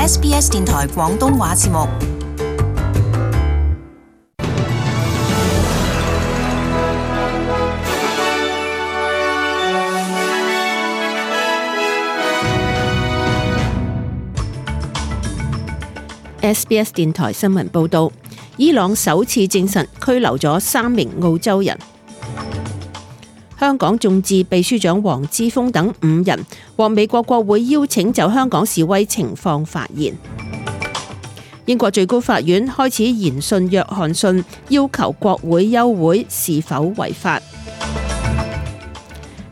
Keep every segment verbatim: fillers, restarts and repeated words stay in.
S B S 電台廣東話節目。S B S 電台新聞報道，伊朗首次證實拘留咗三名澳洲人。香港眾志秘書長黃之鋒等五人獲美國國會邀請就香港示威情況發言。英國最高法院開始研訊約翰遜要求國會休會是否違法。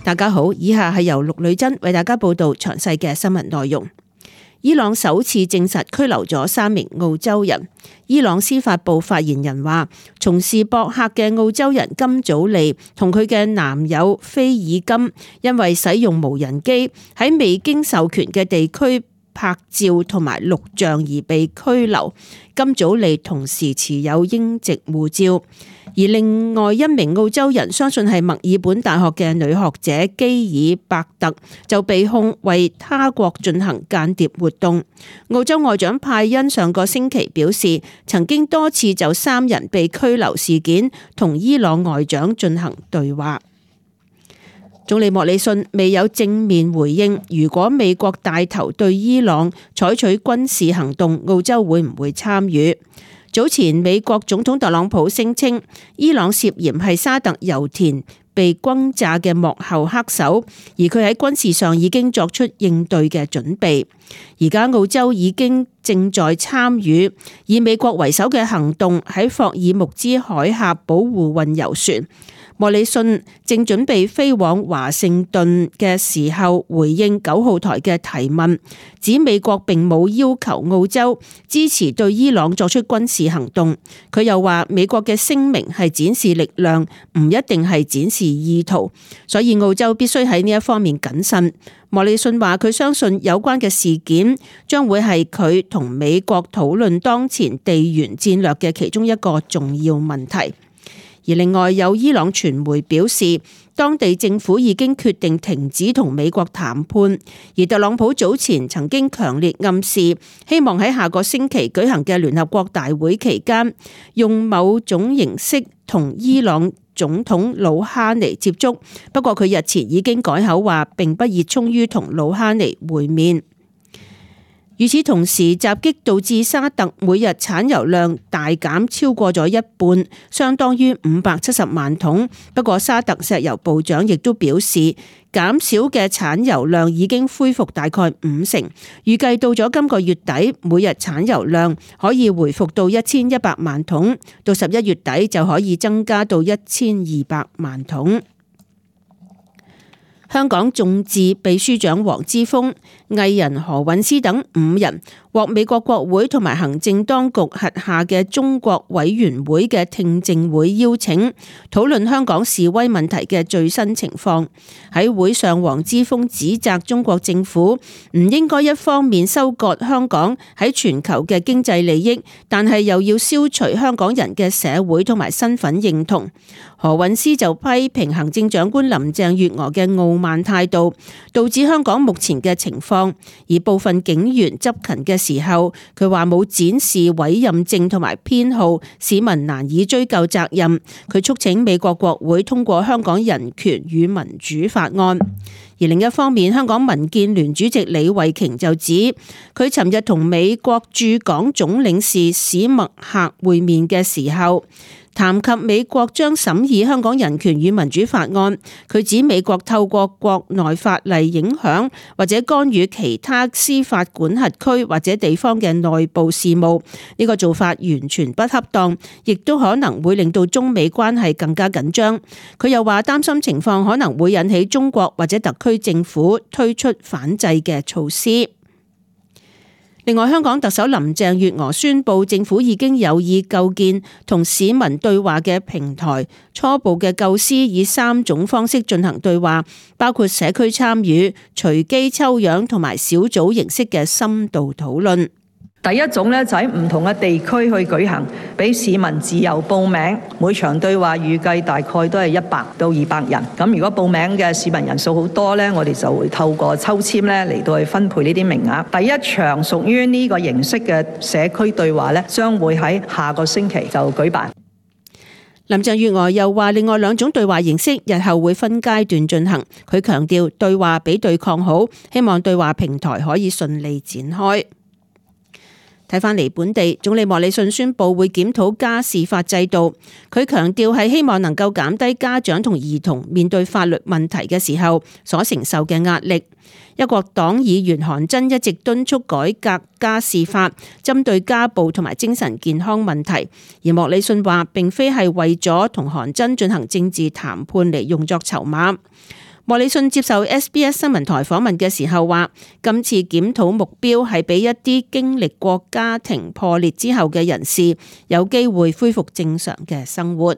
大家好，以下係由陸女珍為大家報道詳細嘅新聞內容。伊朗首次證實拘留咗三名澳洲人。伊朗司法部發言人話，從事博客嘅澳洲人金祖利同佢嘅男友菲爾金，因為使用無人機喺未經授權嘅地區拍照同埋錄像而被拘留。金祖利同時持有英籍護照，而另外一名澳洲人相信係墨爾本大學嘅女學者基爾伯特就被控為他國進行間諜活動。澳洲外長派恩上個星期表示，曾經多次就三人被拘留事件同伊朗外長進行對話。總理莫里遜未有正面回應，如果美國帶頭對伊朗採取軍事行動，澳洲會唔會參與？早前美國總統特朗普聲稱，伊朗涉嫌係沙特油田被轟炸嘅幕後黑手，而佢喺軍事上已經作出應對嘅準備。而家澳洲已經正在參與以美國為首嘅行動，喺霍爾木茲海峽保護運油船。莫里遜正準備飛往華盛頓嘅時候，回應九號台嘅提問，指美國並冇要求澳洲支持對伊朗作出軍事行動。佢又話美國嘅聲明係展示力量，唔一定係展示意圖，所以澳洲必須喺呢一方面謹慎。莫里遜話佢相信有關嘅事件將會係佢同美國討論當前地緣戰略嘅其中一個重要問題。而另外有伊朗傳媒表示，當地政府已經決定停止同美國談判，而特朗普早前曾經強烈暗示，希望喺下個星期舉行嘅聯合國大會期間，用某種形式同伊朗總統魯哈尼接觸。不過佢日前已經改口話，並不熱衷於同魯哈尼會面。與此同時，襲擊導致沙特每日產油量大減超過咗一半，相當於五百七十萬桶。不過沙特石油部長亦都表示，減少嘅產油量已經恢復大概五成，預計到咗今個月底，每日產油量可以回復到一千一百萬桶，到十一月底就可以增加到一千二百萬桶。香港眾志秘書長黃之鋒、藝人何韻詩等五人獲美國國會同埋行政當局轄下嘅中國委員會嘅聽證會邀請，討論香港示威問題嘅最新情況。喺會上，黃之鋒指責中國政府唔應該一方面收割香港喺全球嘅經濟利益，但係又要消除香港人嘅社會同埋身份認同。何韻詩就批評行政長官林鄭月娥嘅傲慢態度，導致香港目前嘅情況。而部分警員執勤嘅時候，佢話冇展示委任證同埋編號，市民難以追究責任。佢促請美國國會通過香港人權與民主法案。而另一方面，香港民建聯主席李慧瓊就指，佢尋日同美國駐港總領事史默克會面嘅時候，談及美國將審議香港人權與民主法案，佢指美國透過國內法例影響或者干預其他司法管轄區或者地方嘅內部事務，呢個做法完全不恰當，亦都可能會令到中美關係更加緊張。佢又話擔心情況可能會引起中國或者特區政府推出反制嘅措施。另外，香港特首林鄭月娥宣布，政府已經有意構建同市民對話嘅平台，初步嘅構思以三種方式進行對話，包括社區參與、隨機抽樣同埋小組形式嘅深度討論。第一種咧就喺唔同嘅地區去舉行，俾市民自由報名。每場對話預計大概都係一百到二百人。咁如果報名嘅市民人數好多咧，我哋就會透過抽籤咧嚟到去分配呢啲名額。第一場屬於呢個形式嘅社區對話咧，將會喺下個星期就舉辦。林鄭月娥又話，另外兩種對話形式日後會分階段進行。佢強調對話比對抗好，希望對話平台可以順利展開。睇返嚟本地，總理莫里遜宣布會檢討家事法制度。佢強調係希望能夠減低家長同兒童面對法律問題嘅時候所承受嘅壓力。一國黨議員韓真一直敦促改革家事法，針對家暴同埋精神健康問題。而莫里遜話並非係為咗同韓真進行政治談判嚟用作籌碼。莫里遜接受 S B S 新聞台訪問嘅時候話，今次檢討目標係俾一啲經歷過家庭破裂之後嘅人士有機會恢復正常嘅生活。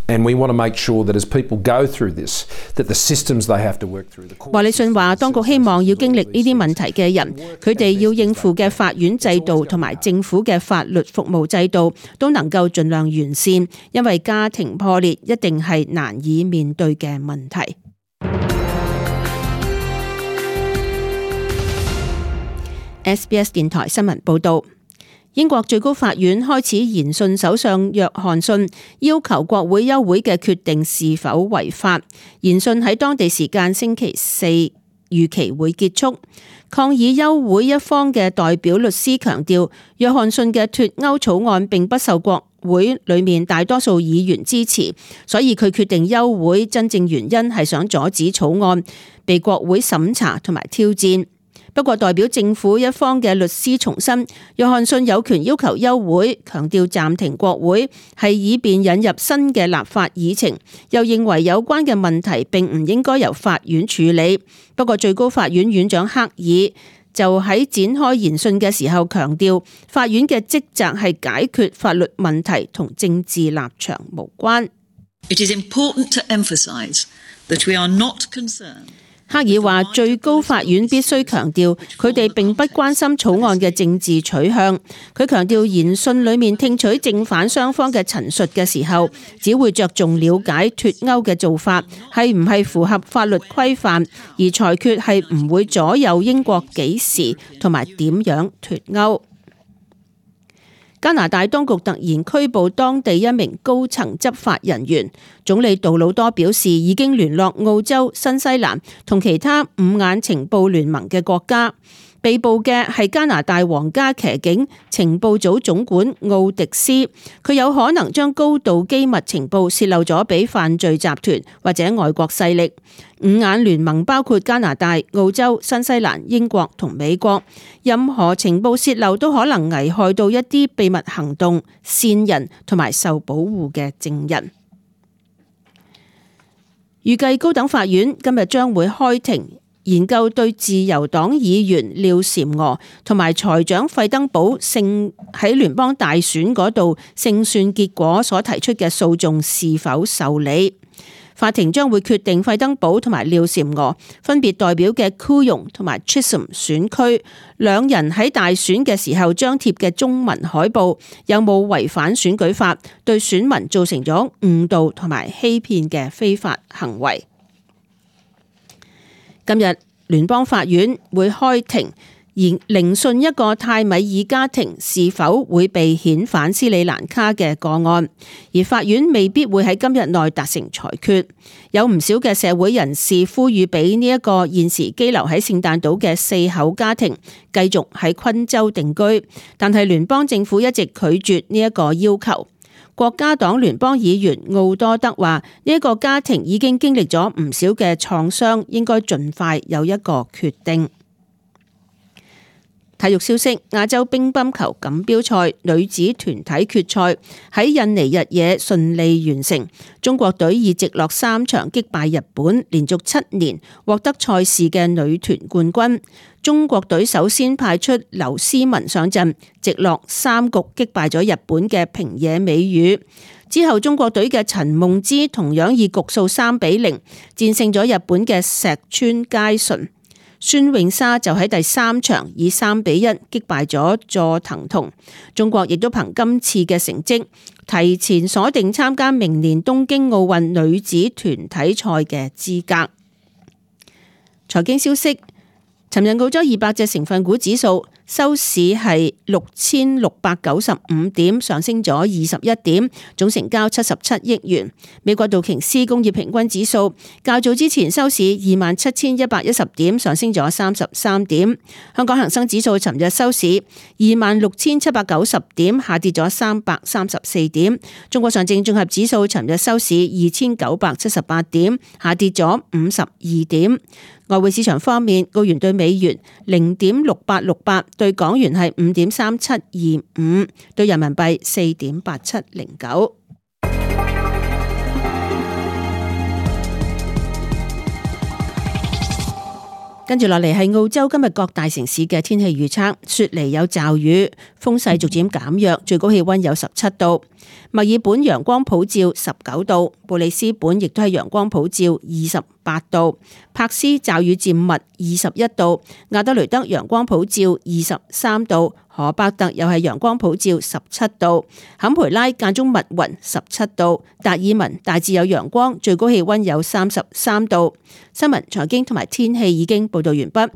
And we want to make sure that as people go through this, that the systems they have to work through. 莫里遜話，當局希望要經歷呢啲問題嘅人，佢哋要應付嘅法院制度同埋政府嘅法律服務制度都能夠盡量完善，因為家庭破裂一定係難以面對嘅問題。S B S 電台新聞報道，英國最高法院開始研訊首相約翰遜要求國會休會嘅決定是否違法。研訊喺當地時間星期四預期會結束。抗議休會一方嘅代表律師強調，約翰遜嘅脫歐草案並不受國會裏面大多數議員支持，所以佢決定休會，真正原因係想阻止草案被國會審查同埋挑戰。不過代表政府一方嘅律師重申，約翰遜有權要求休會，強調暫停國會係以便引入新嘅立法議程，又認為有關嘅問題並唔應該由法院處理。不過最高法院院長克爾就喺展開研訊嘅時候強調，法院嘅職責係解決法律問題，同政治立場無關。It is important to emphasize that we are not concerned. 克爾話，最高法院必須強調，佢哋並不關心草案嘅政治取向。佢強調，研訊裏面聽取正反雙方嘅陳述嘅時候，只會着重了解脫歐嘅做法係唔係符合法律規範，而裁決係唔會左右英國幾時同埋點樣脫歐。加拿大當局突然拘捕當地一名高層執法人員，總理杜魯多表示已經聯絡澳洲、新西蘭同其他五眼情報聯盟嘅國家。被捕嘅係加拿大皇家騎警情報組總管奧迪斯，佢有可能將高度機密情報洩漏咗俾犯罪集團或者外國勢力。五眼聯盟包括加拿大、澳洲、新西蘭、英國同美國，任何情報洩漏都可能危害到一啲秘密行動、線人同埋受保護嘅證人。預計高等法院今日將會開庭研究對自由黨議員廖嬋娥同埋財長費登堡勝喺聯邦大選嗰度勝算結果所提出嘅訴訟是否受理。法庭將會決定費登堡同埋廖嬋娥分別代表嘅 Kooyong 同埋 Chisholm 選區兩人喺大選嘅時候張貼嘅中文海報有冇違反選舉法，對選民造成咗誤導同埋欺騙嘅非法行為。今日聯邦法院會開庭而聆訊一個泰米爾家庭是否會被遣返斯里蘭卡嘅個案，而法院未必會喺今日內達成裁決。有唔少嘅社會人士呼籲俾呢一個現時羈留喺聖誕島嘅四口家庭繼續喺昆州定居，但係聯邦政府一直拒絕呢一個要求。國家黨聯邦議員奧多德話：呢一個家庭已經經歷咗唔少嘅創傷，應該盡快有一個決定。體育消息：亞洲乒乓球錦標賽女子團體決賽喺印尼日惹順利完成，中國隊以直落三場擊敗日本，連續七年獲得賽事嘅女團冠軍。中國隊首先派出劉詩雯上陣，直落三局擊敗咗日本嘅平野美宇。之後中國隊嘅陳夢之同樣以局數三比零戰勝咗日本嘅石川佳純。孫穎莎就喺第三場以三比一擊敗咗佐藤瞳。中國亦都憑今次嘅成績，提前鎖定參加明年東京奧運女子團體賽嘅資格。財經消息，尋日澳洲二百隻成分股指數收市係六千六百九十五點，上升咗二十一點，總成交七十七億元。美國道瓊斯工業平均指數較早之前收市二萬七千一百一十點，上升咗三十三點。香港恒生指數尋日收市二萬六千七百九十點，下跌咗三百三十四點。中國上證綜合指數尋日收市二千九百七十八點，下跌咗五十二點。外匯市場方面，澳元對美元零點六八六八，對港元係五點三七二五，對人民幣四點八七零九。跟住落嚟係澳洲今日各大城市嘅天氣預測，雪梨有驟雨，風勢逐漸減弱，最高氣溫有十七度。墨爾本陽光普照十九度，布里斯本亦都係陽光普照二十八度，柏斯驟雨漸密二十一度，亞德雷德陽光普照二十三度，荷伯特又係陽光普照十七度，坎培拉間中密雲十七度，達爾文大致有陽光，最高氣溫有三十三度。新聞、財經同埋天氣已經報道完畢。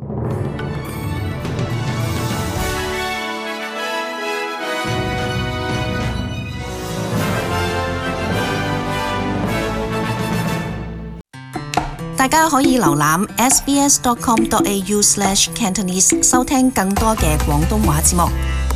大家可以瀏覽 s b s dot com dot a u slash cantonese 收聽更多嘅廣東話節目。